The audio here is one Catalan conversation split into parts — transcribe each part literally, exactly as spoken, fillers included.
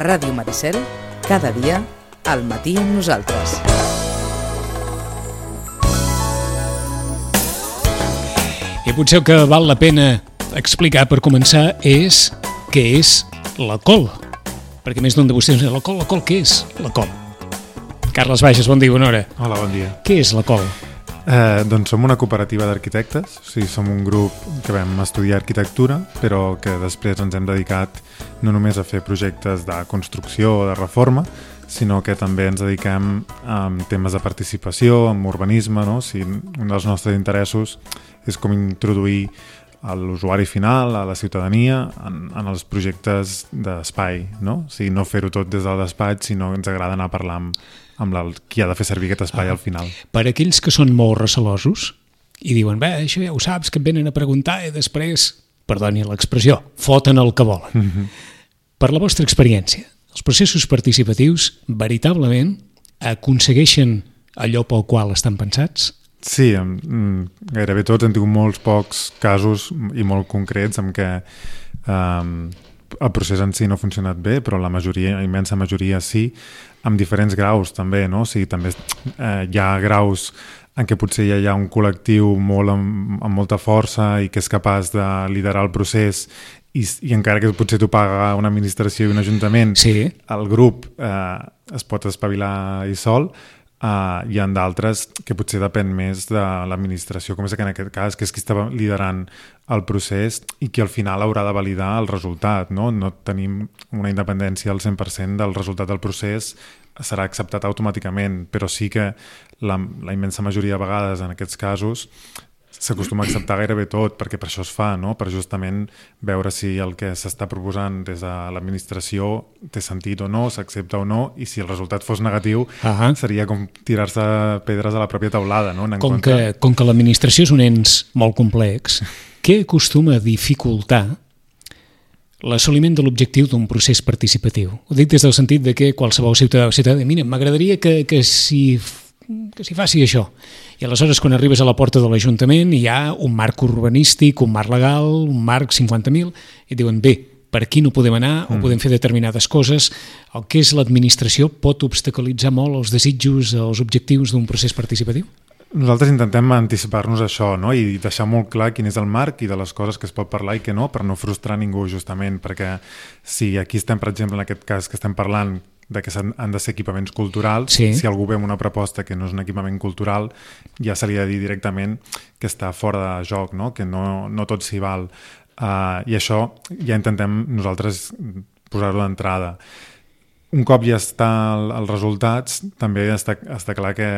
Ràdio Maricel, cada dia, al matí amb nosaltres. I potser el que val la pena explicar per començar és què és la col. Perquè més d'un de vostès diu, la col, la col, què és la col? Carles Bages, bon dia, bona hora. Hola, bon dia. Què és la col? Eh, doncs som una cooperativa d'arquitectes, o sigui, som un grup que vam estudiar arquitectura, però que després ens hem dedicat no només a fer projectes de construcció o de reforma, sinó que també ens dediquem a temes de participació, amb urbanisme, no? O sigui, un dels nostres interessos és com introduir a l'usuari final, a la ciutadania, en, en els projectes d'espai, no? O sigui, no fer-ho tot des del despatx, sinó que ens agrada anar a parlar amb, amb el, qui ha de fer servir aquest espai ah, al final. Per aquells que són molt recelosos i diuen, bé, això ja ho saps, que et venen a preguntar i després, perdoni l'expressió, foten el que volen. Mm-hmm. Per la vostra experiència, els processos participatius veritablement aconsegueixen allò pel qual estan pensats? Sí, gairebé tots hem tingut molts pocs casos i molt concrets en què um, el procés en si no ha funcionat bé, però la majoria, la immensa majoria sí, amb diferents graus també, no? O sigui, també eh, hi ha graus en què potser ja hi ha un col·lectiu molt amb, amb molta força i que és capaç de liderar el procés i, i encara que potser t'ho paga una administració i un ajuntament, sí. El grup eh, es pot espavilar i sol. Uh, hi ha d'altres que potser depèn més de l'administració, com és que en aquest cas, que és qui està liderant el procés i qui al final haurà de validar el resultat, no? No tenim una independència al cent per cent del resultat del procés, serà acceptat automàticament, però sí que la, la immensa majoria de vegades en aquests casos s'acostuma a acceptar gairebé tot, perquè per això es fa, no? Per justament veure si el que s'està proposant des de l'administració té sentit o no, s'accepta o no, i si el resultat fos negatiu, uh-huh. seria com tirar-se pedres a la pròpia teulada, no? Com que, com que l'administració és un ens molt complex, què acostuma a dificultar l'assoliment de l'objectiu d'un procés participatiu? Ho dic des del sentit de que qualsevol ciutadà o ciutadà, mira, m'agradaria que, que si... que s'hi faci això. I aleshores, quan arribes a la porta de l'Ajuntament, hi ha un marc urbanístic, un marc legal, un marc cinquanta mil, i et diuen, bé, per aquí no podem anar, mm. o podem fer determinades coses. El que és l'administració pot obstaculitzar molt els desitjos, els objectius d'un procés participatiu? Nosaltres intentem anticipar-nos a això, no? I deixar molt clar quin és el marc i de les coses que es pot parlar i que no, per no frustrar ningú, justament, perquè si aquí estem, per exemple, en aquest cas que estem parlant de que han de ser equipaments culturals, sí. Si algú ve amb una proposta que no és un equipament cultural, ja se li ha de dir directament que està fora de joc, no? Que no, no tot s'hi val. Uh, I això ja intentem nosaltres posar-ho d'entrada. Un cop ja està els resultats, també està, està clar que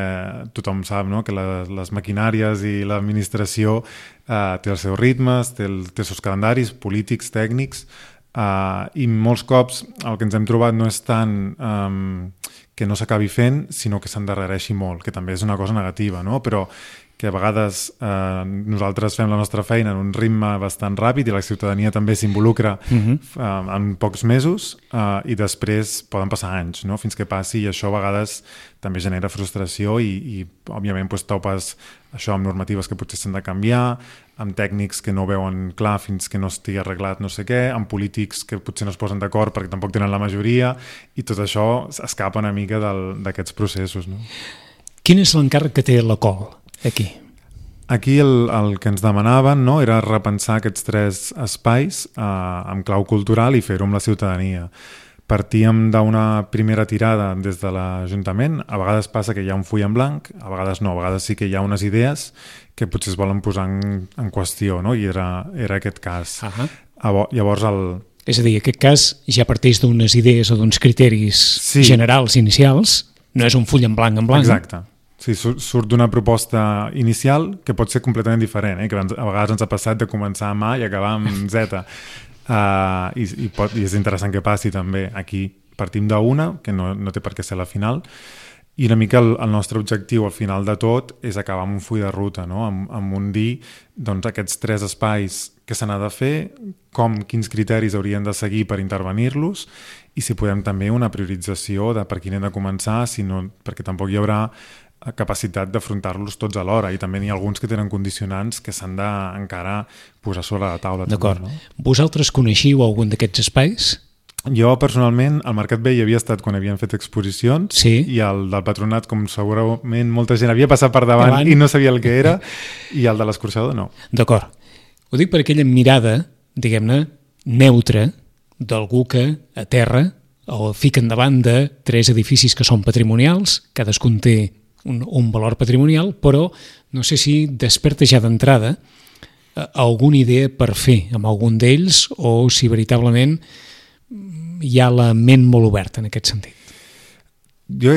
tothom sap, no? Que les, les maquinàries i l'administració uh, té els seus ritmes, té, el, té els seus calendaris polítics, tècnics, Uh, i molts cops el que ens hem trobat no és tant um, que no s'acabi fent, sinó que s'endarrereixi molt, que també és una cosa negativa, no? Però que a vegades eh, nosaltres fem la nostra feina en un ritme bastant ràpid i la ciutadania també s'involucra uh-huh. eh, en pocs mesos eh, i després poden passar anys, no? Fins que passi, i això a vegades també genera frustració i, i òbviament pues, topes això amb normatives que potser s'han de canviar, amb tècnics que no veuen clar fins que no estigui arreglat no sé què, amb polítics que potser no es posen d'acord perquè tampoc tenen la majoria, i tot això escapa una mica del, d'aquests processos, no? Quin és l'encàrrec que té la C O L aquí? Aquí el, el que ens demanaven, no, era repensar aquests tres espais eh, amb clau cultural i fer-ho amb la ciutadania. Partíem d'una primera tirada des de l'Ajuntament. A vegades passa que hi ha un full en blanc, a vegades no, a vegades sí que hi ha unes idees que potser es volen posar en, en qüestió, no? I era, era aquest cas. Uh-huh. Llavors el... És a dir, aquest cas ja parteix d'unes idees o d'uns criteris sí. generals inicials, no és un full en blanc en blanc. Exacte. Sí, surt d'una proposta inicial que pot ser completament diferent, eh? Que a vegades ens ha passat de començar amb A i acabar amb Z. Uh, i, i, pot, i és interessant que passi també. Aquí partim d'una, que no, no té per què ser la final, i una mica el, el nostre objectiu al final de tot és acabar amb un full de ruta, no? amb, amb un dir doncs, aquests tres espais que se n'ha de fer, com, quins criteris haurien de seguir per intervenir-los, i si podem també una priorització de per quin hem de començar, si no, perquè tampoc hi haurà capacitat d'afrontar-los tots alhora, i també n'hi ha alguns que tenen condicionants que s'han d'encara posar sobre la taula. D'acord. També, no? Vosaltres coneixiu algun d'aquests espais? Jo, personalment, al Mercat Vell havia estat quan havien fet exposicions sí. i el del Patronat, com segurament molta gent havia passat per davant, davant. I no sabia el que era, i el de l'escorxador no. D'acord. Ho dic per aquella mirada, diguem-ne, neutra d'algú que a terra o fiquen davant de tres edificis que són patrimonials, cadascun té un, un valor patrimonial, però no sé si desperta ja d'entrada alguna idea per fer amb algun d'ells o si veritablement hi ha la ment molt oberta en aquest sentit. Jo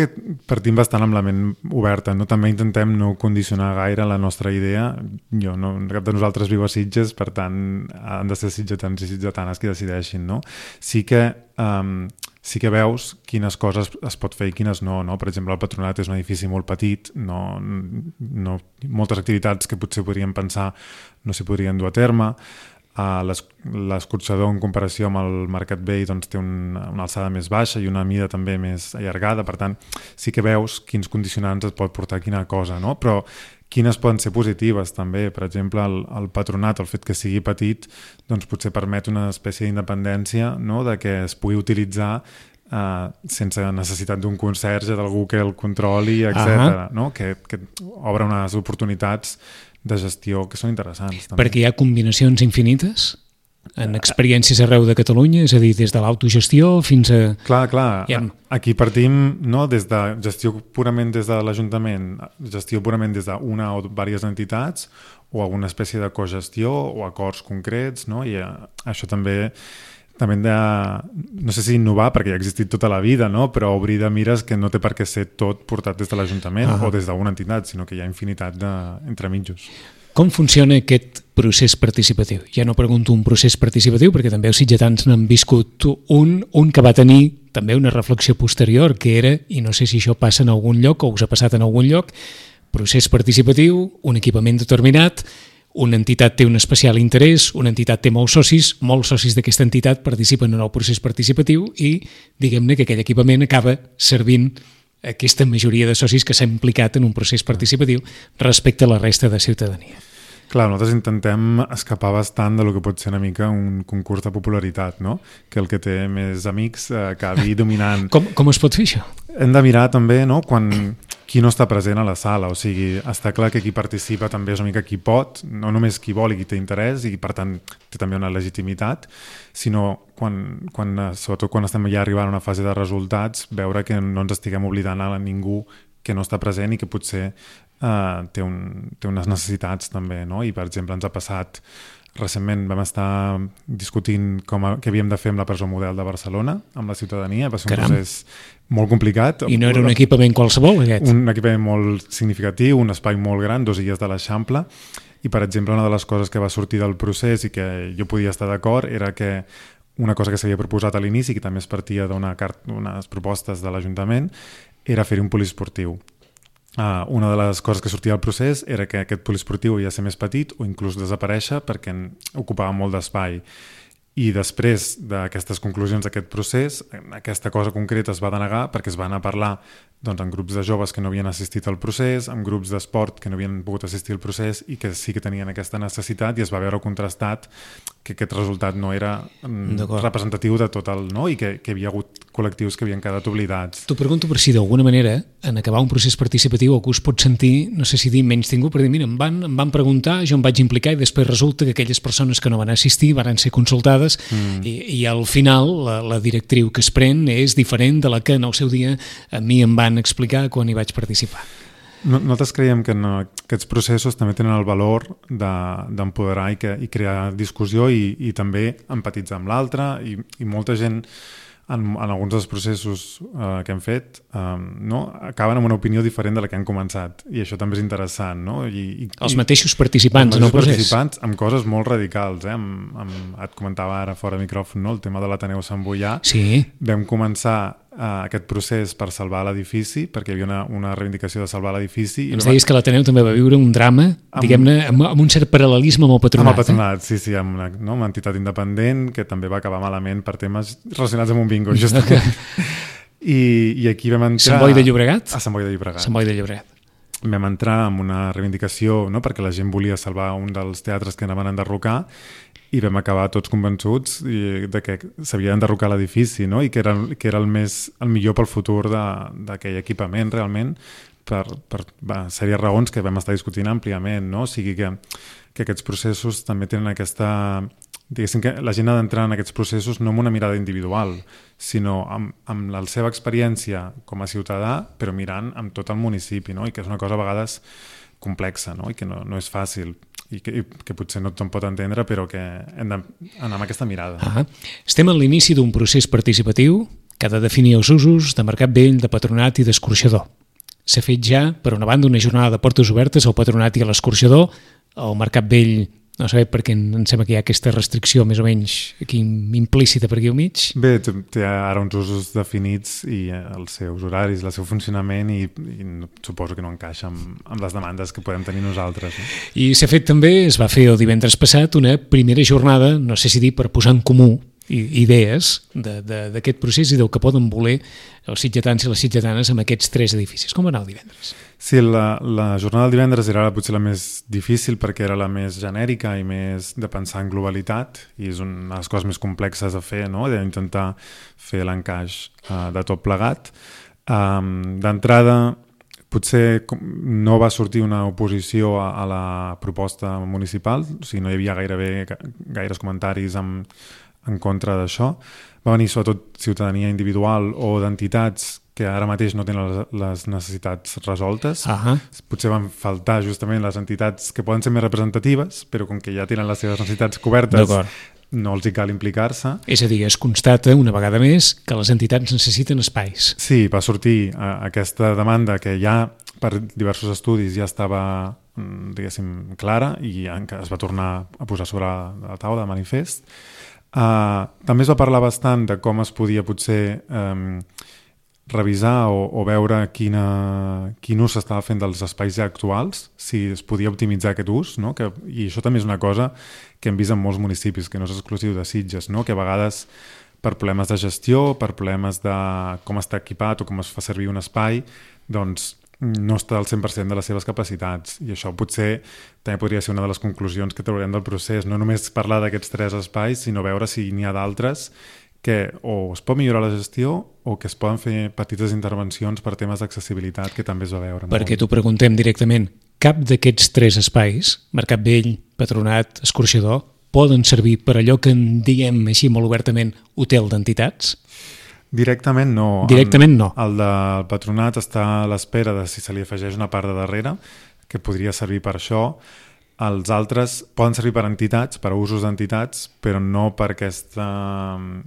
partim bastant amb la ment oberta, no? També intentem no condicionar gaire la nostra idea. Jo no, cap de nosaltres viu a Sitges, per tant han de ser sitgetans i sitgetanes qui decideixin, no? Sí que, um, sí que veus quines coses es pot fer i quines no, no? Per exemple, el Patronat és un edifici molt petit, no, no, moltes activitats que potser podríem pensar no s'hi podrien dur a terme. Uh, l'escorxador en comparació amb el Mercat Vell doncs, té un, una alçada més baixa i una mida també més allargada, per tant sí que veus quins condicionants et pot portar quina cosa, no? Però quines poden ser positives també, per exemple el, el Patronat, el fet que sigui petit doncs potser permet una espècie d'independència, no? De que es pugui utilitzar uh, sense necessitat d'un conserge, d'algú que el controli, etcètera. Uh-huh. No? Que, que obre unes oportunitats de gestió que són interessants. També. Perquè hi ha combinacions infinites en experiències arreu de Catalunya, és a dir, des de l'autogestió fins a... Clar, clar. Ha... Aquí partim no, des de gestió purament des de l'Ajuntament, gestió purament des d'una o diverses entitats o alguna espècie de cogestió o acords concrets, no? I això també... també hem de, no sé si innovar, perquè ja ha existit tota la vida, no? Però obrir de mires que no té per què ser tot portat des de l'Ajuntament uh-huh. o des d'una entitat, sinó que hi ha infinitat d'entremitjos. Com funciona aquest procés participatiu? Ja no pregunto un procés participatiu, perquè també els sitgetans n'han viscut un, un que va tenir també una reflexió posterior, que era, i no sé si això passa en algun lloc o us ha passat en algun lloc, procés participatiu, un equipament determinat, una entitat té un especial interès, una entitat té molts socis, molts socis d'aquesta entitat participen en el procés participatiu i diguem-ne que aquell equipament acaba servint aquesta majoria de socis que s'ha implicat en un procés participatiu respecte a la resta de ciutadania. Clar, nosaltres intentem escapar bastant de lo que pot ser una mica un concurs de popularitat, no? Que el que té més amics eh, acabi dominant. Com, com es pot fer això? Hem de mirar també, no?, quan qui no està present a la sala, o sigui, està clar que qui participa també és una mica qui pot, no només qui vol i qui té interès i per tant té també una legitimitat, sinó quan, quan, sobretot quan estem ja arribant a una fase de resultats, veure que no ens estiguem oblidant a ningú que no està present i que potser Uh, té, un, té unes necessitats també, no? I per exemple ens ha passat recentment vam estar discutint com a, què havíem de fer amb la presó model de Barcelona, amb la ciutadania, va ser un Caram. procés molt complicat. I no era un equipament qualsevol aquest? Un equipament molt significatiu, un espai molt gran, dos illes de l'Eixample, i per exemple una de les coses que va sortir del procés i que jo podia estar d'acord era que una cosa que s'havia proposat a l'inici, que també es partia d'unes propostes de l'Ajuntament, era fer un poliesportiu. Uh, una de les coses que sortia del procés era que aquest poliesportiu havia de ser més petit o inclús desaparèixer perquè ocupava molt d'espai. I després d'aquestes conclusions d'aquest procés, aquesta cosa concreta es va denegar perquè es van a parlar doncs, en grups de joves que no havien assistit al procés, en grups d'esport que no havien pogut assistir al procés i que sí que tenien aquesta necessitat i es va veure contrastat que aquest resultat no era representatiu de tot el... No? I que, que hi havia hagut col·lectius que havien quedat oblidats. T'ho pregunto per si d'alguna manera en acabar un procés participatiu algú es pot sentir, no sé si dir menys tingut, per dir, mira, em van, em van preguntar, jo em vaig implicar i després resulta que aquelles persones que no van assistir van ser consultades mm. i, i al final la, la directriu que es pren és diferent de la que en el seu dia a mi em van explicar quan hi vaig participar. No, nosaltres creiem que no, aquests processos també tenen el valor d'empoderar de, i, que, i crear discussió i, i també empatitzar amb l'altre i, i molta gent en, en alguns dels processos eh, que hem fet eh, no, acaben amb una opinió diferent de la que han començat i això també és interessant. No? I, i, els mateixos participants els en el procés. Participants amb coses molt radicals. Eh? Amb, amb, et comentava ara fora de micròfon, no? El tema de l'Ateneu Sant Boià. Sí. Vam començar Uh, aquest procés per salvar l'edifici, perquè hi havia una, una reivindicació de salvar l'edifici. Ens deies que l'Ateneu també va viure un drama, amb, diguem-ne, amb, amb un cert paral·lelisme amb el Patronat. Amb el Patronat, eh? sí, sí, amb una, no, una entitat independent que també va acabar malament per temes relacionats amb un bingo, justament. I, i aquí vam entrar... Sant Boi de Llobregat? A Sant Boi de Llobregat. Sant Boi de Llobregat. vam entrar en una reivindicació, no? Perquè la gent volia salvar un dels teatres que anaven a enderrocar, i vam acabar tots convençuts de que s'havia d'enderrocar l'edifici, no? I que era, que era el, més, el millor pel futur d'aquell equipament, realment, per, per va, sèries raons que vam estar discutint àmpliament, no? O sigui que, que aquests processos també tenen aquesta... Diguéssim que la gent ha d'entrar en aquests processos no amb una mirada individual, sinó amb, amb la seva experiència com a ciutadà, però mirant amb tot el municipi, no? I que és una cosa a vegades complexa, no? I que no, no és fàcil, i que, i que potser no tothom pot entendre, però que hem d'anar amb aquesta mirada. Ah, estem en l'inici d'un procés participatiu que ha de definir els usos de Mercat Vell, de patronat i d'escorxador. S'ha fet ja, per una banda, una jornada de portes obertes al patronat i a l'escorxador. El Mercat Vell, no sé, perquè em sembla que hi ha aquesta restricció més o menys aquí implícita per aquí al mig. Bé, té ara uns usos definits i els seus horaris, el seu funcionament, i, i suposo que no encaixa amb, amb les demandes que podem tenir nosaltres. No? I s'ha fet també, es va fer el divendres passat, una primera jornada, no sé si dir per posar en comú idees d'aquest procés i del que poden voler els sitgetans i les sitgetanes amb aquests tres edificis. Com va anar el divendres? Sí, la, la jornada del divendres era potser la més difícil perquè era la més genèrica i més de pensar en globalitat, i és una de les coses més complexes a fer, no? D'intentar fer l'encaix uh, de tot plegat. Um, D'entrada, potser no va sortir una oposició a, a la proposta municipal, o sigui, no hi havia gairebé gaires comentaris amb en contra d'això. Va venir sobretot ciutadania individual o d'entitats que ara mateix no tenen les necessitats resoltes. Uh-huh. Potser van faltar justament les entitats que poden ser més representatives, però com que ja tenen les seves necessitats cobertes, no els hi cal implicar-se. És a dir, es constata una vegada més que les entitats necessiten espais. Sí, va sortir uh, aquesta demanda que ja per diversos estudis ja estava, diguéssim, clara, i es va tornar a posar sobre la taula de manifest. Uh, també es va parlar bastant de com es podia potser um, revisar o, o veure quina, quin ús s'estava fent dels espais ja actuals, si es podia optimitzar aquest ús, no? Que, i això també és una cosa que hem vist en molts municipis, que no és exclusiu de Sitges, no? Que a vegades per problemes de gestió, per problemes de com està equipat o com es fa servir un espai, doncs no està al cent per cent de les seves capacitats, i això potser també podria ser una de les conclusions que traurem del procés, no només parlar d'aquests tres espais, sinó veure si n'hi ha d'altres que o es pot millorar la gestió o que es poden fer petites intervencions per temes d'accessibilitat, que també es va veure. Perquè t'ho preguntem directament, cap d'aquests tres espais, Mercat Vell, Patronat, Escorxador, poden servir per allò que en diem així molt obertament hotel d'entitats? Directament no. Directament no. El del patronat està a l'espera de si se li afegeix una part de darrere, que podria servir per això. Els altres poden servir per entitats, per usos d'entitats, però no per aquesta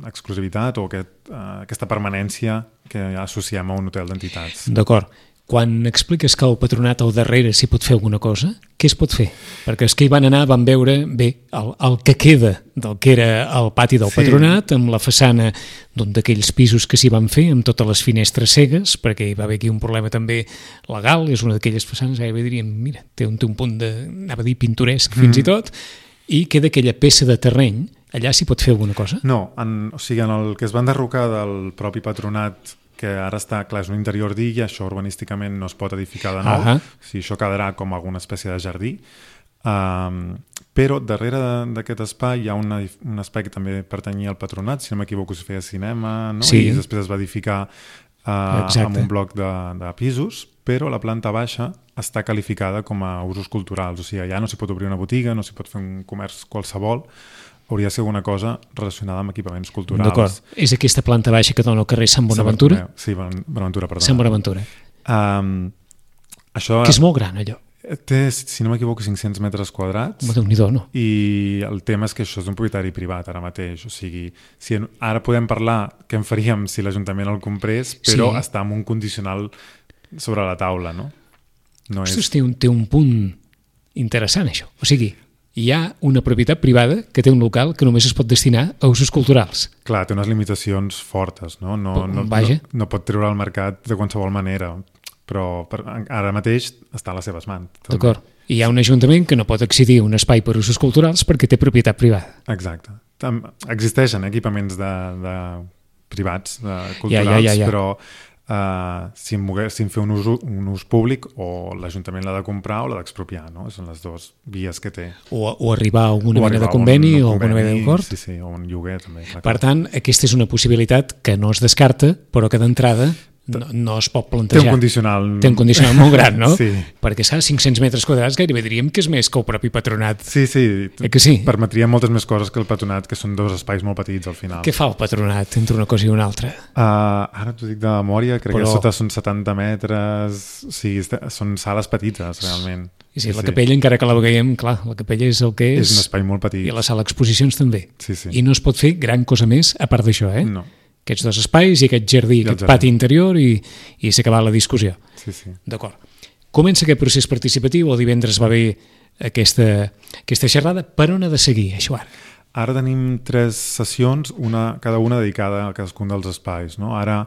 exclusivitat o aquest, uh, aquesta permanència que associem a un hotel d'entitats. D'acord. Quan expliques que el patronat al darrere s'hi pot fer alguna cosa, què es pot fer? Perquè els que hi van anar van veure bé el, el que queda del que era el pati del sí. patronat, amb la façana d'un d'aquells pisos que s'hi van fer, amb totes les finestres cegues, perquè hi va haver aquí un problema també legal, és una d'aquelles façanes, gairebé diríem, mira, té un, té un punt de, anava a dir, pintoresc fins mm. i tot, i queda aquella peça de terreny, allà s'hi pot fer alguna cosa? No, en, o sigui, en el que es va enderrocar del propi patronat, que ara està, clar, és un interior d'illa, això urbanísticament no es pot edificar de nou, uh -huh. o sigui, això quedarà com alguna espècie de jardí, um, però darrere d'aquest espai hi ha una, un espai que també pertanyia al patronat, si no m'equivoco es feia cinema, no? Sí. I després es va edificar uh, amb un bloc de, de pisos, però la planta baixa està qualificada com a usos culturals, o sigui, allà no s'hi pot obrir una botiga, no s'hi pot fer un comerç qualsevol, hauria de ser alguna cosa relacionada amb equipaments culturals. D'acord. És aquesta planta baixa que dona al carrer Sant Bonaventura? Sí, Bonaventura, perdó. Sant Bonaventura. Um, això... Que és molt gran, allò. Té, si no m'equivoco, cinc-cents metres quadrats. Déu-n'hi-do, no? I el tema és que això és un propietari privat ara mateix. O sigui, si ara podem parlar què en faríem si l'Ajuntament el comprés, però sí. està amb un condicional sobre la taula, no? no Ostres, és... té, un, té un punt interessant, això. O sigui, hi ha una propietat privada que té un local que només es pot destinar a usos culturals. Clar, té unes limitacions fortes, no? No, no, Vaja. no, no pot treure al mercat de qualsevol manera, però per, ara mateix està a les seves mans. D'acord. I hi ha un ajuntament que no pot accedir a un espai per usos culturals perquè té propietat privada. Exacte. Existeixen equipaments de, de privats, de culturals, ja, ja, ja, ja. però uh, si, en volgués, si en fer un ús, un ús públic o l'Ajuntament l'ha de comprar o l'ha d'expropiar, no? Són les dues vies que té. O, o arribar a alguna o mena de un, conveni un o alguna mena d'acord. Sí, sí, o un lloguer també. Clar, per tant, aquesta és una possibilitat que no es descarta, però que d'entrada no, no es pot plantejar. Té un condicional... Té un condicional molt gran, no? Sí. Perquè, saps, cinc-cents metres quadrats gairebé diríem que és més que el propi patronat. Sí, sí. Eh que sí? Permetria moltes més coses que el patronat, que són dos espais molt petits al final. Què fa el patronat entre una cosa i una altra? Uh, ara t'ho dic de memòria, crec Però... que sota són setanta metres, o sigui, són sales petites, realment. I sí, sí, la sí. capella, encara que la veiem, clar, la capella és el que és. És un espai molt petit. I la sala d'exposicions també. Sí, sí. I no es pot fer gran cosa més a part d'això, eh? No. Aquests dos espais i aquest jardí, I aquest jardí. pati interior i, i s'ha acabat la discussió. Sí, sí. D'acord. Comença aquest procés participatiu, el divendres va haver aquesta, aquesta xerrada. Per on ha de seguir, això ara? Ara tenim tres sessions, una, cada una dedicada a cadascun dels espais, no? Ara,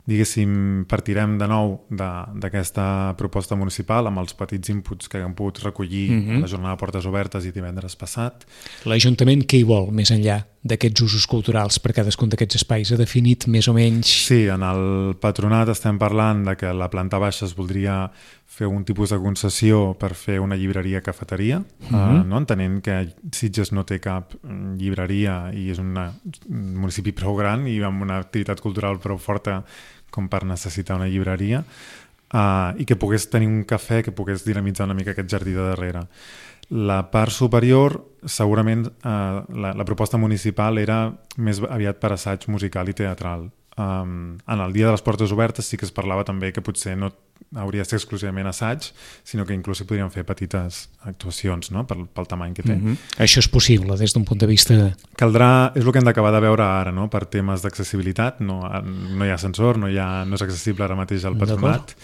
diguéssim, partirem de nou d'aquesta proposta municipal amb els petits inputs que hem pogut recollir Mhm. a la jornada de portes obertes i divendres passat. L'Ajuntament què hi vol, més enllà d'aquests usos culturals per cadascun d'aquests espais? Ha definit més o menys... Sí, en el patronat estem parlant de que la planta baixa es voldria fer un tipus de concessió per fer una llibreria-cafeteria, uh -huh. uh, no? Entenent que Sitges no té cap llibreria i és una, un municipi prou gran i amb una activitat cultural prou forta com per necessitar una llibreria, uh, i que pogués tenir un cafè que pogués dinamitzar una mica aquest jardí de darrere. La part superior, segurament, eh, la, la proposta municipal era més aviat per assaig musical i teatral. Um, en el dia de les portes obertes sí que es parlava també que potser no hauria de ser exclusivament assaig, sinó que inclús hi podríem fer petites actuacions, no? pel, pel tamany que té. Mm-hmm. Això és possible des d'un punt de vista... Caldrà, és el que hem d'acabar de veure ara, no? Per temes d'accessibilitat, no, no hi ha ascensor, no, hi ha, no és accessible ara mateix al patronat,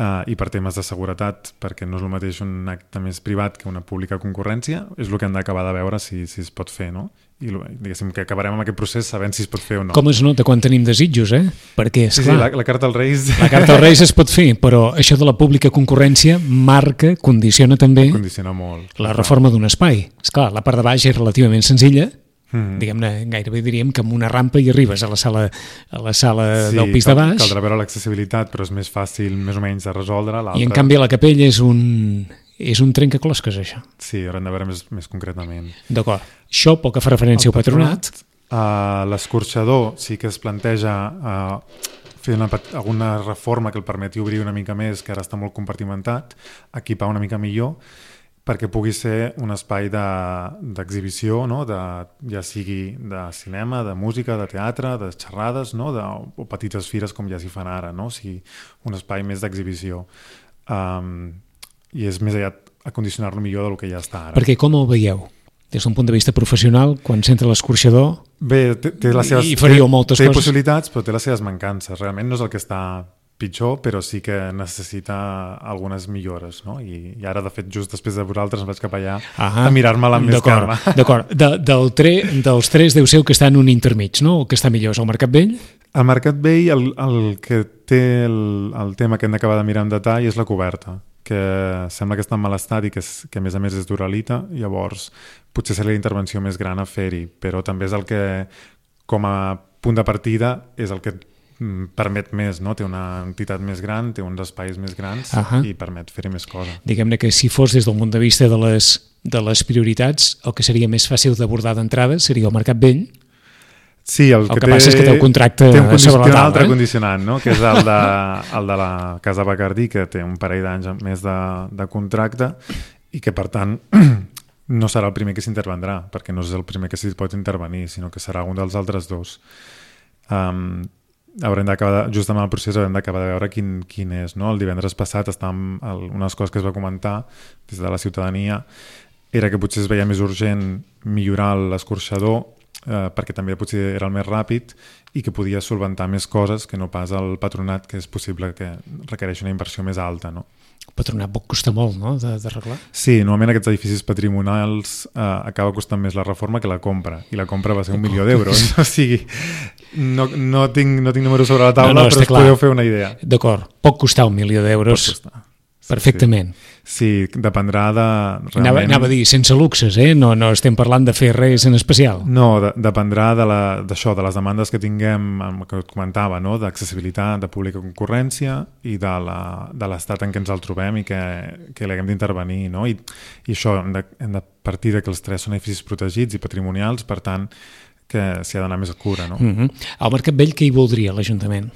uh, i per temes de seguretat, perquè no és el mateix un acte més privat que una pública concurrència, és el que hem d'acabar de veure si, si es pot fer, no? I diguéssim que acabarem amb aquest procés sabent si es pot fer o no. Com es nota quan tenim desitjos, eh? Perquè, esclar, sí, sí, la, la carta als Reis... La carta als Reis es pot fer, però això de la pública concurrència marca, condiciona també condiciona molt, la reforma d'un espai. Esclar, la part de baix és relativament senzilla, mm-hmm. diguem-ne, gairebé diríem que amb una rampa hi arribes a la sala, a la sala sí, del pis cal, de baix. Caldrà veure l'accessibilitat, però és més fàcil més o menys de resoldre. I en canvi la capella és un... és un trencaclosques, això. Sí, haurem de veure més, més concretament. D'acord. Això pel que fa referència al patronat. Uh, L'escorxador sí que es planteja uh, fer una, alguna reforma que el permeti obrir una mica més, que ara està molt compartimentat, equipar una mica millor, perquè pugui ser un espai d'exhibició, no? de, ja sigui de cinema, de música, de teatre, de xerrades, no? de, o petites fires com ja s'hi fan ara, no? O sigui, un espai més d'exhibició. Um, I és més allà a condicionar-lo millor del que ja està ara. Perquè com el veieu? Des d'un punt de vista professional, quan s'entra l'escorxador... Bé, té, té les seves, i faríeu moltes té, té coses. possibilitats, però té les seves mancances. Realment no és el que està pitjor, però sí que necessita algunes millores, no? I, i ara, de fet, just després de vosaltres em vaig cap allà ah, a mirar-me-la amb més calma. D'acord, de, del tre, dels tres deu ser que està en un intermig, no? El que està millor és el Mercat Vell? Al Mercat Vell el, el que té el, el tema que hem d'acabar de mirar en detall és la coberta, que sembla que està en mal estat i que, és, que a més a més és d'uralita, llavors potser seria la intervenció més gran a fer-hi, però també és el que, com a punt de partida, és el que permet més, no? Té una entitat més gran, té uns espais més grans uh-huh. i permet fer-hi més coses. Diguem-ne que si fos des del punt de vista de les, de les prioritats, el que seria més fàcil d'abordar d'entrada seria el Mercat Vell. Sí, el, el que, que té, passa és que té el contracte té un sobre la taula. Un altre eh? condicionant, no? Que és el de, el de la Casa Bacardí, que té un parell d'anys més de, de contracte i que, per tant, no serà el primer que s'intervendrà, perquè no és el primer que s'hi pot intervenir, sinó que serà un dels altres dos. Um, haurem d'acabar, just amb el procés haurem d'acabar de veure quin, quin és, no? El divendres passat estàvem, el, una de les coses que es va comentar des de la ciutadania era que potser es veia més urgent millorar l'escorxador, eh, perquè també potser era el més ràpid i que podia solventar més coses que no pas el patronat, que és possible que requereix una inversió més alta, no? El patronat pot costar molt, no?, d'arreglar. Sí, normalment aquests edificis patrimonials eh, acaba costant més la reforma que la compra, i la compra va ser un milió d'euros. O sigui, no, no, tinc, no tinc números sobre la taula, no, no, però us clar. Podeu fer una idea. D'acord, pot costar un milió d'euros, perfectament. Sí, sí dependrà de... Realment... Anava, anava a dir, sense luxes, eh? No, no estem parlant de fer res en especial. No, de, dependrà de la, d'això, de les demandes que tinguem, que et comentava, no? D'accessibilitat, de pública concurrència i de, la, de l'estat en què ens el trobem i que, que l'haguem d'intervenir, no? I, i això, hem de, hem de partir de que els tres són edificis protegits i patrimonials, per tant, que s'hi ha d'anar més a cura, no? Mm-hmm. Al Mercat Vell, què hi voldria l'Ajuntament?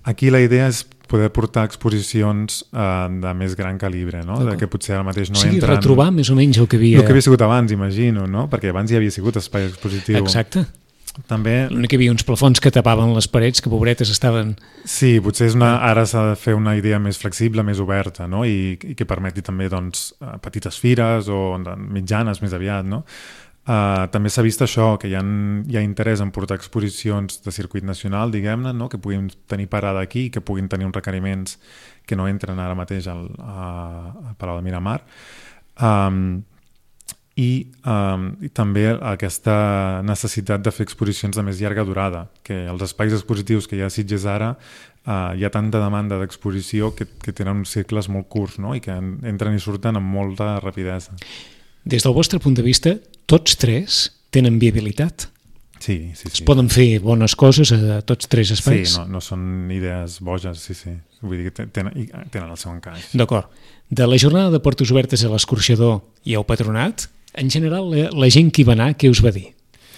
Aquí la idea és poder portar exposicions eh, de més gran calibre, no? De que potser ara mateix no o sigui, entren... retrobar més o menys el que havia... El que havia sigut abans, imagino, no? Perquè abans hi havia sigut espai expositiu. Exacte. També... L'únic que hi havia uns plafons que tapaven les parets, que pobretes estaven... Sí, potser és una... ara s'ha de fer una idea més flexible, més oberta, no? I, i que permeti també, doncs, petites fires o mitjanes més aviat, no? Uh, també s'ha vist això, que hi ha, hi ha interès en portar exposicions de circuit nacional, diguem-ne, no? Que puguin tenir parada aquí, que puguin tenir uns requeriments que no entren ara mateix al, a, al Palau de Miramar. Um, i, um, I també aquesta necessitat de fer exposicions de més llarga durada, que els espais expositius que hi ha a Sitges ara uh, hi ha tanta demanda d'exposició que, que tenen uns cicles molt curts, no? I que entren i surten amb molta rapidesa. Des del vostre punt de vista, tots tres tenen viabilitat? Sí, sí, sí. Es poden fer bones coses a tots tres espais? Sí, no, no són idees boges, sí, sí. Vull dir que tenen, tenen el seu encaix. D'acord. De la jornada de portes obertes a l'Escorxador i al Patronat, en general, la, la gent que hi va anar, què us va dir?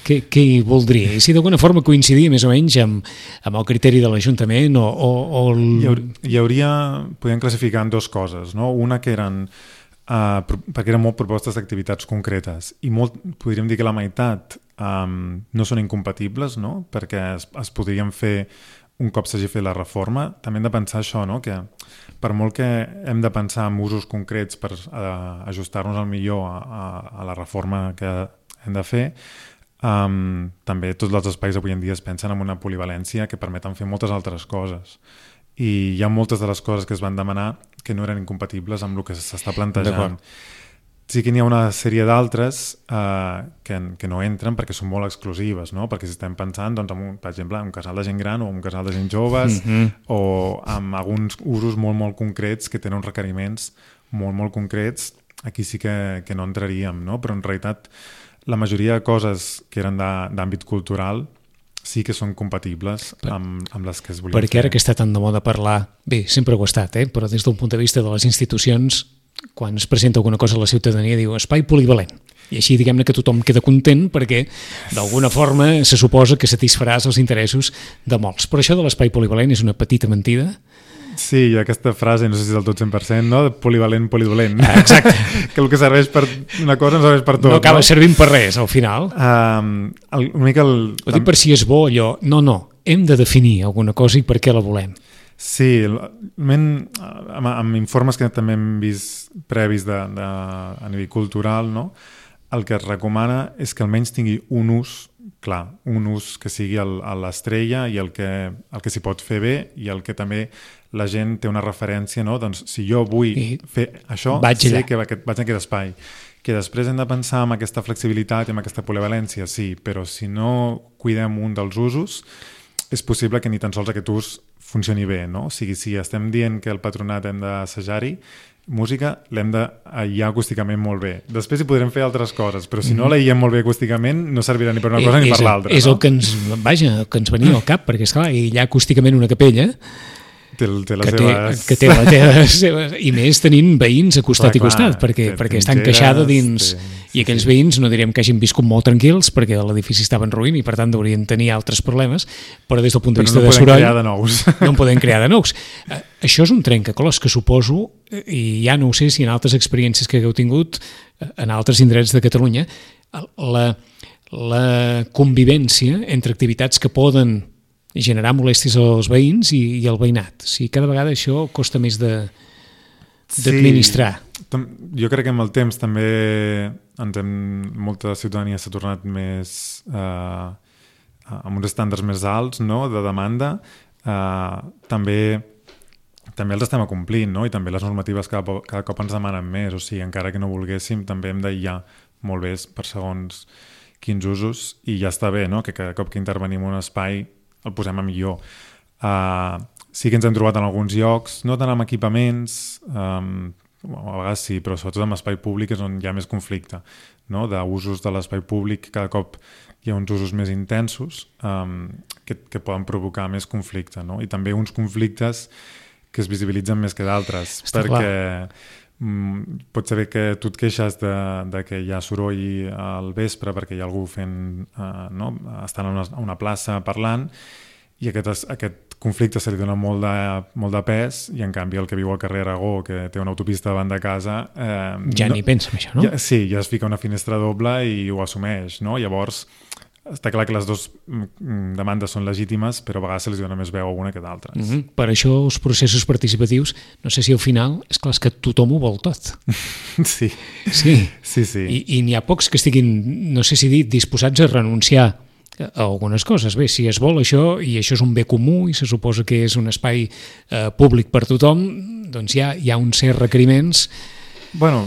Què, què hi voldria? I si d'alguna forma coincidia més o menys amb, amb el criteri de l'Ajuntament o... o, o el... hi, hauria, hi hauria... Podem classificar en dues coses, no? Una que eren... Uh, perquè eren molt propostes d'activitats concretes i molt, podríem dir que la meitat um, no són incompatibles, no? Perquè es, es podrien fer un cop s'hagi fet la reforma. També hem de pensar això, no? Que per molt que hem de pensar en usos concrets per uh, ajustar-nos al millor a, a, a la reforma que hem de fer, um, també tots els espais avui en dia es pensen en una polivalència que permeten fer moltes altres coses. I hi ha moltes de les coses que es van demanar que no eren incompatibles amb el que s'està plantejant. Sí que n'hi ha una sèrie d'altres eh, que, que no entren perquè són molt exclusives, no? Perquè si estem pensant, doncs, en un, per exemple, en un casal de gent gran o un casal de gent joves mm-hmm. o amb alguns usos molt, molt concrets que tenen uns requeriments molt, molt concrets, aquí sí que, que no entraríem, no? Però en realitat la majoria de coses que eren d'àmbit cultural sí que són compatibles amb, amb les que es volien Perquè fer. Ara que està tan de moda parlar, bé, sempre ho ha estat, eh? Però des d'un punt de vista de les institucions, quan es presenta alguna cosa a la ciutadania diu espai polivalent. I així diguem-ne que tothom queda content perquè d'alguna forma se suposa que satisfaràs els interessos de molts. Però això de l'espai polivalent és una petita mentida. Sí, aquesta frase, no sé si és del tot cent per cent, no? Polivalent, polidolent. Ah, exacte. Que el que serveix per una cosa no serveix per tot. No acaba no? servint per res, al final. Um, el, una mica el... Ho dic per si és bo allò. No, no, hem de definir alguna cosa i per què la volem. Sí, amb, amb informes que també hem vist previs de, de, a nivell cultural, no? El que es recomana és que almenys tingui un ús clar, un ús que sigui el, a l'estrella i el que, el que s'hi pot fer bé i el que també la gent té una referència, no? Doncs si jo vull I fer això, sé que vaig a aquest espai. Que després hem de pensar en aquesta flexibilitat i en aquesta polivalència, sí, però si no cuidem un dels usos, és possible que ni tan sols aquest ús funcioni bé, no? O sigui, si estem dient que el patronat hem d'assajar-hi, música l'hem d'aïllar acústicament molt bé. Després hi podrem fer altres coses, però si no l'aïllem molt bé acústicament no servirà ni per una cosa ni per l'altra. És no? el que ens, vaja, el que ens venia al cap, perquè esclar, aïllar acústicament una capella té, té les que, seves... té, que té les seves... I més tenint veïns a costat clar, i costat, clar, perquè, té, perquè està encaixada dins... Té, sí, I aquells sí. veïns no diríem que hagin viscut molt tranquils perquè l'edifici estava en ruïna i per tant haurien tenir altres problemes, però des del punt de vista no de soroll... crear de nous. No en podem crear de nous. Això és un trencaclòs que suposo, i ja no ho sé si en altres experiències que hagueu tingut en altres indrets de Catalunya, la, la convivència entre activitats que poden generar molèsties als veïns i, i al veïnat. O sigui, cada vegada això costa més de d'administrar. Sí, jo crec que amb el temps també ens hem, molta ciutadania s'ha tornat més eh, amb uns estàndards més alts, no?, de demanda. Eh, també també els estem acomplint, no?, i també les normatives cada, cada cop ens demanen més, o sigui, encara que no volguéssim, també hem d'aïllar molt bé per segons quins usos, i ja està bé, no?, que cada cop que intervenim en un espai el posem a millor. Uh, sí que ens hem trobat en alguns llocs, no tant amb equipaments, um, a vegades sí, però sobretot en espai públic és on hi ha més conflicte, no? D'usos de l'espai públic, cada cop hi ha uns usos més intensos um, que, que poden provocar més conflicte, no? I també uns conflictes que es visibilitzen més que d'altres, Està perquè mm, pot ser bé que tu et queixes de, de que hi ha soroll al vespre perquè hi ha algú fent, uh, no? estant a una, a una plaça parlant, i aquest, aquest conflicte se li dona molt de, molt de pes, i en canvi el que viu al carrer Aragó, que té una autopista davant de casa... Eh, ja no, ni pensa en això, no? Ja, sí, ja es fica una finestra doble i ho assumeix, no? Llavors, està clar que les dues demandes són legítimes, però a vegades se li dona més veu a una que d'altres. Mm-hmm. Per això els processos participatius, no sé si al final, és clar, és que tothom ho vol tot. Sí. Sí. Sí, sí. I, i n'hi ha pocs que estiguin, no sé si dir, disposats a renunciar a algunes coses. Bé, si es vol això, i això és un bé comú i se suposa que és un espai eh, públic per tothom, doncs hi ha, hi ha uns certs requeriments. Bueno,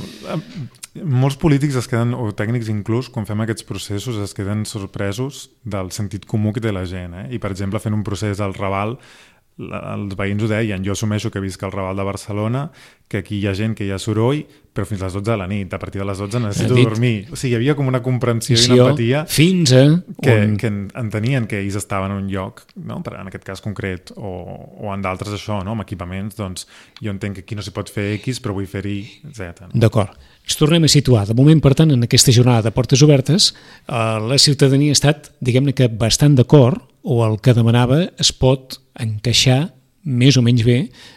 molts polítics es queden, o tècnics inclús, quan fem aquests processos es queden sorpresos del sentit comú que té la gent. Eh? I, per exemple, fent un procés al Raval, els veïns ho deien, jo assumeixo que visc al Raval de Barcelona, que aquí hi ha gent que hi ha soroll, però fins a les dotze de la nit, a partir de les dotze necessito dormir. O sigui, hi havia com una comprensió i una empatia fins a que, on... que entenien que ells estaven en un lloc, no? En aquest cas concret, o, o en d'altres això, no? Amb equipaments, doncs jo entenc que aquí no s'hi pot fer X, però vull fer Y, Z. No? D'acord. Ens tornem a situar. De moment, per tant, en aquesta jornada de portes obertes, eh, la ciutadania ha estat, diguem-ne que bastant d'acord, o el que demanava es pot encaixar més o menys bé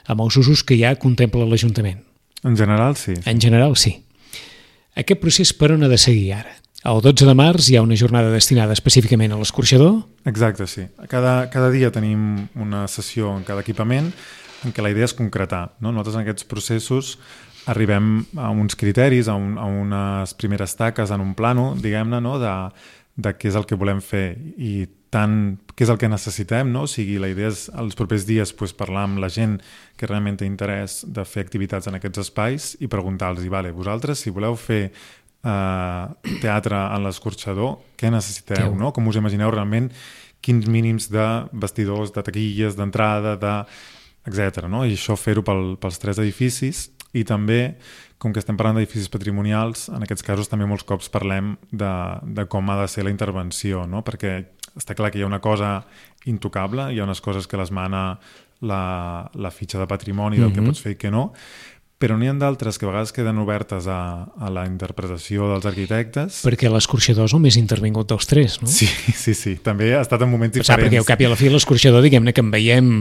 amb els usos que ja contempla l'Ajuntament. En general, sí. En general, sí. Aquest procés per on ha de seguir ara? El dotze de març hi ha una jornada destinada específicament a l'escorxador? Exacte, sí. Cada, cada dia tenim una sessió en cada equipament en què la idea és concretar. No? Nosaltres en aquests processos arribem a uns criteris, a, un, a unes primeres taques en un plano, diguem-ne, no? de, de què és el que volem fer i tant què és el que necessitem, no? O sigui, la idea és els propers dies pues, parlar amb la gent que realment té interès de fer activitats en aquests espais i preguntar-los, vale, vosaltres, si voleu fer uh, teatre en l'escorxador, què necessiteu, no? Com us imagineu realment quins mínims de vestidors, de taquilles, d'entrada, de... etcètera. No? I això fer-ho pel, pels tres edificis, i també, com que estem parlant d'edificis patrimonials, en aquests casos també molts cops parlem de, de com ha de ser la intervenció, no? Perquè està clar que hi ha una cosa intocable, hi ha unes coses que les mana la, la fitxa de patrimoni del mm-hmm. que pots fer i que no, però n'hi ha d'altres que a vegades queden obertes a, a la interpretació dels arquitectes. Perquè l'escorxador és el més intervingut dels tres, no? Sí, sí, sí. També ha estat en moments diferents. Sap, perquè al cap i a la fi l'escorxador, diguem-ne que en veiem,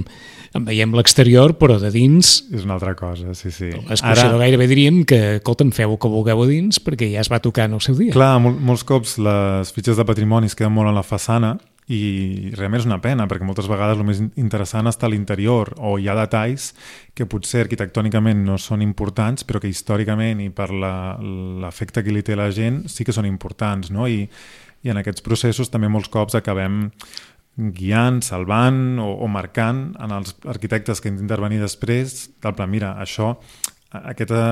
en veiem l'exterior, però de dins... És una altra cosa, sí, sí. L'escorxador Ara... gairebé diríem que, escolta'm, feu el que vulgueu a dins, perquè ja es va tocar en el seu dia. Clar, mol, molts cops les fitxes de patrimoni es queden molt en la façana, i realment és una pena, perquè moltes vegades el més interessant està a l'interior, o hi ha detalls que potser arquitectònicament no són importants, però que històricament i per l'efecte que li té la gent sí que són importants, no? I, i en aquests processos també molts cops acabem guiant, salvant o, o marcant en els arquitectes que han d'intervenir després, del plan, mira, això, aquesta,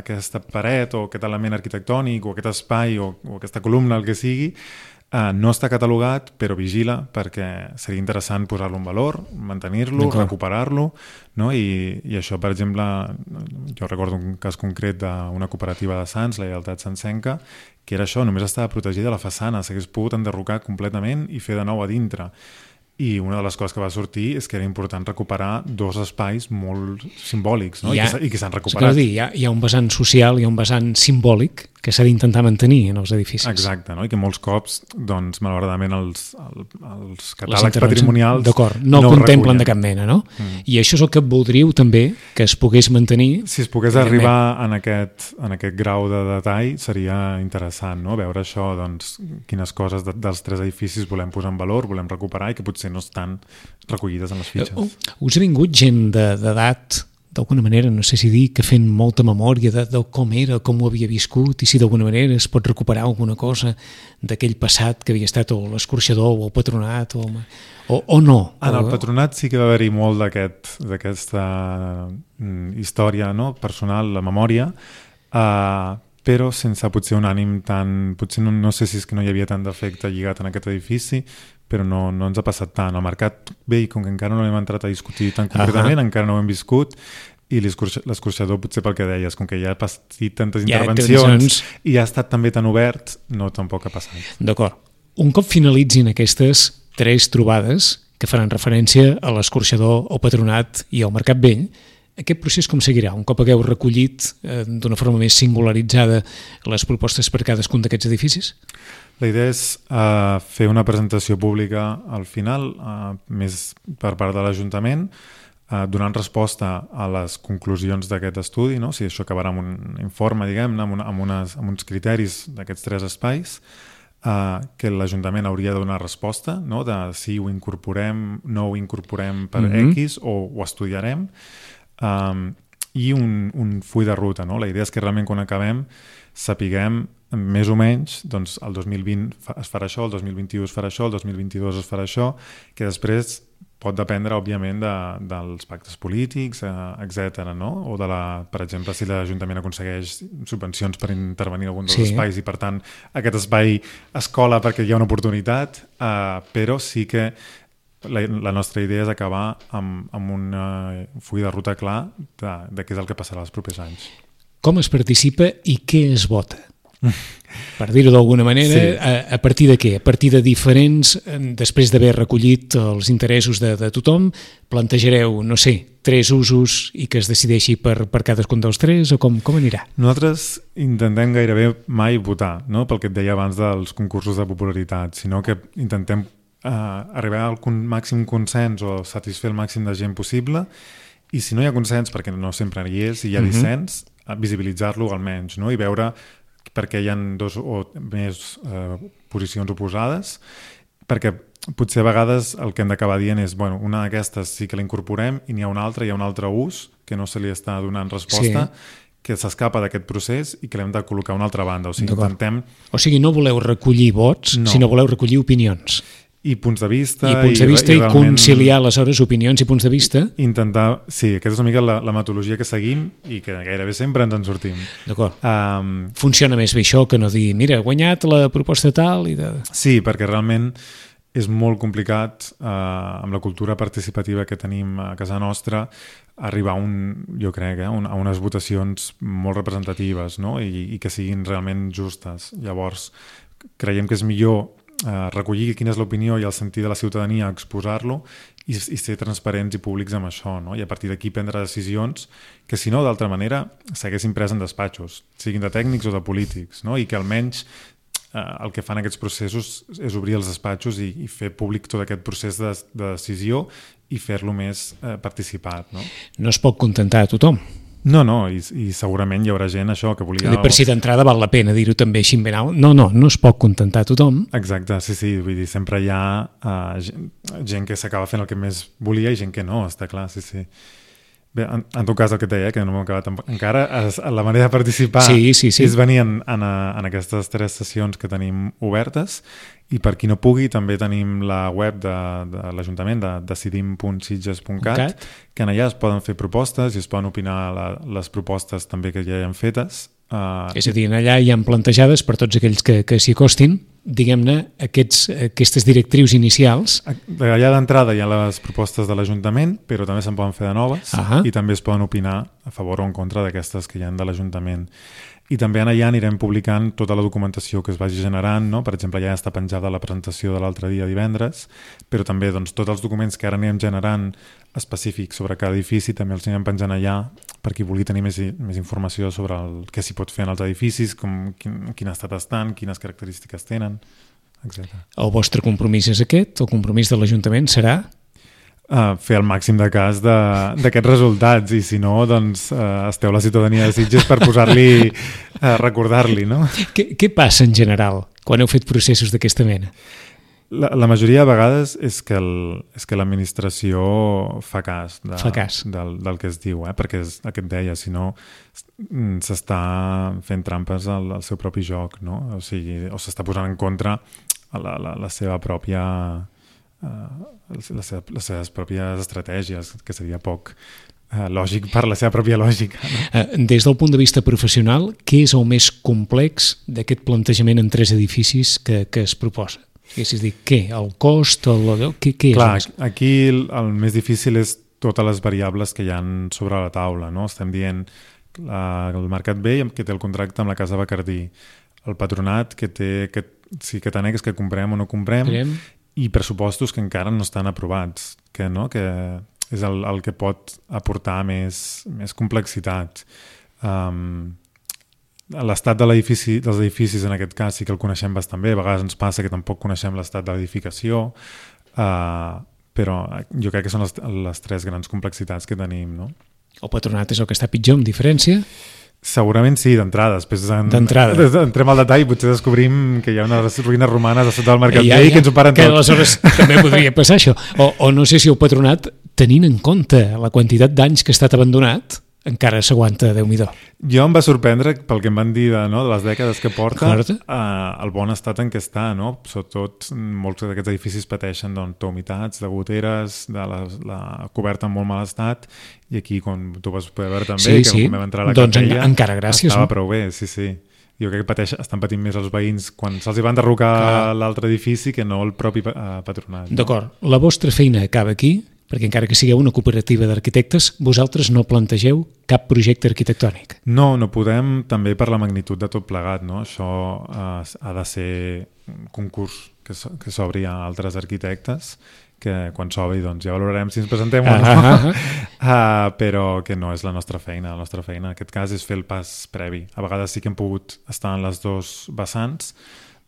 aquesta paret o aquest element arquitectònic o aquest espai o, o aquesta columna, el que sigui, Uh, no està catalogat, però vigila, perquè seria interessant posar-lo en valor, mantenir-lo, recuperar-lo, no? I, i això, per exemple, jo recordo un cas concret d'una cooperativa de Sants, la Lleialtat Santsenca, que era això, només estava protegida la façana, s'hagués pogut enderrocar completament i fer de nou a dintre. I una de les coses que va sortir és que era important recuperar dos espais molt simbòlics, no? Ha, I que s'han recuperat. Dir, hi, ha, hi ha un vessant social, hi ha un vessant simbòlic que s'ha d'intentar mantenir en els edificis. Exacte, no? I que molts cops, doncs, malauradament, els, els catàlegs patrimonials no, no contemplen de cap mena, no? Mm. I això és el que voldríeu també que es pogués mantenir. Si es pogués arribar en aquest, en aquest grau de detall seria interessant, no? Veure això, doncs, quines coses de, dels tres edificis volem posar en valor, volem recuperar i que potser no estan recollides en les fitxes. Uh, us ha vingut gent d'edat, d'alguna manera, no sé si dir, que fent molta memòria de, de com era, com ho havia viscut, i si d'alguna manera es pot recuperar alguna cosa d'aquell passat que havia estat o l'escorxador o el patronat o, o, o no? En el patronat sí que va haver-hi molt d'aquesta mm, història, no? Personal, la memòria, uh, però sense potser un ànim tan... Potser no, no sé si és que no hi havia tant d'efecte lligat en aquest edifici, però no, no ens ha passat tant. El mercat, bé, com que encara no hem entrat a discutir tan concretament, uh-huh. encara no ho hem viscut, i l'escorxador, potser pel que deies, com que ja ha patit tantes Ja, intervencions intervencions. i ha estat també tan obert, no tampoc ha passat. D'acord. Un cop finalitzin aquestes tres trobades que faran referència a l'escorxador, al Patronat i al Mercat Vell, aquest procés com seguirà? Un cop hagueu recollit eh, d'una forma més singularitzada les propostes per cadascun d'aquests edificis? La idea és uh, fer una presentació pública al final, uh, més per part de l'Ajuntament, uh, donant resposta a les conclusions d'aquest estudi, no? Si això acabarà amb un informe, diguem-ne, amb, una, amb, unes, amb uns criteris d'aquests tres espais, uh, que l'Ajuntament hauria de donar resposta, no? De si ho incorporem, no ho incorporem per Mm-hmm. X o ho estudiarem, um, i un, un full de ruta. No? La idea és que realment quan acabem sapiguem més o menys, doncs el dos mil vint es farà això, el dos mil vint-i-u es farà això, el dos mil vint-i-dos es farà això, que després pot dependre, òbviament, de, dels pactes polítics, eh, etcètera, no? O de la, per exemple, si l'Ajuntament aconsegueix subvencions per intervenir en algun dels Sí. espais i, per tant, aquest espai es cola perquè hi ha una oportunitat, eh, però sí que la, la nostra idea és acabar amb, amb un uh, full de ruta clar de, de què és el que passarà els propers anys. Com es participa i què es vota? Per dir-ho d'alguna manera, Sí. a, a partir de què? A partir de diferents, eh, després d'haver recollit els interessos de, de tothom, plantejareu, no sé, tres usos i que es decideixi per, per cadascun dels tres, o com, com anirà? Nosaltres intentem gairebé mai votar, no? Pel que et deia abans dels concursos de popularitat, sinó que intentem eh, arribar al con- màxim consens o satisfer el màxim de gent possible, i si no hi ha consens, perquè no sempre hi és, i hi ha Mhm. dissens, eh, visibilitzar-lo almenys, no? I veure perquè hi ha dos o més eh, posicions oposades, perquè potser a vegades el que hem d'acabar dient és, bueno, una d'aquestes sí que la incorporem i n'hi ha una altra, hi ha un altre ús que no se li està donant resposta, Sí. que s'escapa d'aquest procés i que l'hem de col·locar a una altra banda. O sigui, D'acord. intentem... O sigui, no voleu recollir vots, No. sinó voleu recollir opinions. I punts de vista... I punts de vista i, i realment conciliar, aleshores, opinions i punts de vista. Intentar... Sí, aquesta és una mica la, la metodologia que seguim i que gairebé sempre ens en sortim. D'acord. Um, Funciona més bé això que no dir, mira, he guanyat la proposta tal i de... Sí, perquè realment és molt complicat eh, amb la cultura participativa que tenim a casa nostra arribar a un, jo crec, eh, un, a unes votacions molt representatives, no? I, i que siguin realment justes. Llavors, creiem que és millor eh, recollir quina és l'opinió i el sentir de la ciutadania, exposar-lo i, i ser transparents i públics amb això, no? I a partir d'aquí prendre decisions que, si no, d'altra manera, s'haguessin pres en despatxos, siguin de tècnics o de polítics, no? I que almenys eh, el que fan aquests processos és obrir els despatxos i, i fer públic tot aquest procés de, de decisió i fer-lo més eh, participat, no? No es pot contentar a tothom. No, no, i, i segurament hi haurà gent això que volia... Per si d'entrada val la pena dir-ho també així ben alt. No, no, no es pot contentar a tothom. Exacte, sí, sí, vull dir, sempre hi ha uh, gent, gent que s'acaba fent el que més volia i gent que no, està clar, sí, sí. Bé, en, en tot cas, el que et deia, que no m'ho he acabat tampoc, encara, es, la manera de participar Sí, sí, sí. és venir en, en, en aquestes tres sessions que tenim obertes, i per qui no pugui també tenim la web de, de l'Ajuntament, de decidim punt sitges punt cat, que en allà es poden fer propostes i es poden opinar la, les propostes també que ja hi han fetes. Uh, És a dir, allà hi ha plantejades per tots aquells que, que s'hi acostin, diguem-ne, aquests, aquestes directrius inicials. Allà d'entrada hi ha les propostes de l'Ajuntament, però també se'n poden fer de noves. Ahà. I també es poden opinar a favor o en contra d'aquestes que hi ha de l'Ajuntament. I també allà anirem publicant tota la documentació que es vagi generant, no? Per exemple, ja està penjada la presentació de l'altre dia divendres, però també doncs, tots els documents que ara anirem generant específics sobre cada edifici també els anirem penjant allà per qui vulgui tenir més, més informació sobre el que s'hi pot fer en els edificis, com, quin, quin estat estan, quines característiques tenen, etcètera. El vostre compromís és aquest? El compromís de l'Ajuntament serà? Uh, fer el màxim de cas d'aquests resultats, i si no, doncs uh, esteu la ciutadania de Sitges per posar-li, uh, recordar-li, no? Què, què passa en general quan heu fet processos d'aquesta mena? La, la majoria de vegades és que el, és que l'administració fa cas, de, Fa cas. Del, del que es diu, eh? Perquè és el que et deia, si no s'està fent trampes al, al seu propi joc, no? O sigui, o s'està posant en contra la, la, la seva pròpia... Uh, les, seves, les seves pròpies estratègies, que seria poc uh, lògic per la seva pròpia lògica, no? Uh, des del punt de vista professional, què és el més complex d'aquest plantejament en tres edificis que, que es proposa? És a dir, què? El cost? El, què, què és? Clar, el més... aquí el, el més difícil és totes les variables que hi ha sobre la taula, no? Estem dient la, el Mercat Vell, que té el contracte amb la Casa Bacardí, el Patronat, que té que, sí, que t'anegues que comprem o no comprem, Crem. i pressupostos que encara no estan aprovats, que, no? que és el, el que pot aportar més, més complexitat. Um, l'estat de l'edifici, dels edificis en aquest cas sí que el coneixem bastant bé, a vegades ens passa que tampoc coneixem l'estat de l'edificació, uh, però jo crec que són les, les tres grans complexitats que tenim, no? El Patronat és el que està pitjor, amb diferència? Segurament sí, d'entrada. Després en, d'entrada. Entrem al detall i potser descobrim que hi ha unes ruïnes romanes a sota del Mercat ja, Vell ja, que ens ho paren que tot. aleshores també podria passar això. O, o no sé si el Patronat, tenint en compte la quantitat d'anys que ha estat abandonat, encara s'aguanta, Déu-n'hi-do. Jo em va sorprendre pel que em van dir de, no, de les dècades que porta, uh, el bon estat en què està, no? Sobretot molts d'aquests edificis pateixen doncs, d'humitats, de goteres, de la, la coberta en molt mal estat, i aquí, com tu vas poder veure també, sí, que sí. quan vam entrar a la doncs capella, en, encara gràcies, estava no? prou bé, sí, sí. Jo crec que pateix, estan patint més els veïns quan se'ls van derrocar l'altre edifici que no el propi uh, Patronat. No? D'acord. La vostra feina acaba aquí, perquè encara que sigueu una cooperativa d'arquitectes, vosaltres no plantegeu cap projecte arquitectònic. No, no podem, també per la magnitud de tot plegat, no? Això eh, ha de ser un concurs que, so, que s'obri a altres arquitectes, que quan s'obri doncs, ja valorarem si ens presentem o no, ah, ah, ah. uh, però que no és la nostra feina. La nostra feina en aquest cas és fer el pas previ. A vegades sí que hem pogut estar en les dos vessants,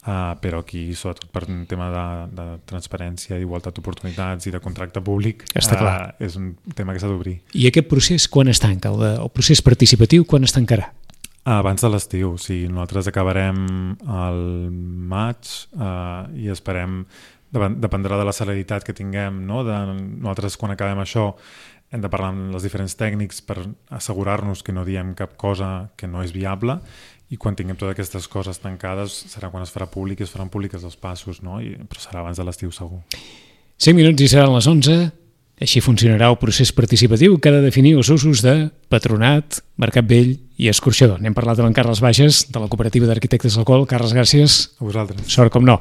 Uh, però aquí, sobretot per un tema de, de transparència, d'igualtat d'oportunitats i de contracte públic, Està clar. Uh, és un tema que s'ha d'obrir. I aquest procés quan es tanca? El, de, el procés participatiu quan es tancarà? Abans de l'estiu, sí. Nosaltres acabarem al maig uh, i esperem, dependrà de la celeritat que tinguem, no? De, nosaltres quan acabem això hem de parlar amb els diferents tècnics per assegurar-nos que no diem cap cosa que no és viable, i quan tinguem totes aquestes coses tancades serà quan es farà públic i es faran públiques els passos, no? I, però serà abans de l'estiu segur. cinc minuts i seran les onze. Així funcionarà el procés participatiu que ha de definir els usos de Patronat, Mercat Vell i Escorxador. N'hem parlat amb en Carles Bages, de la Cooperativa d'Arquitectes del Col. Carles, gràcies. A vosaltres. Sort com no.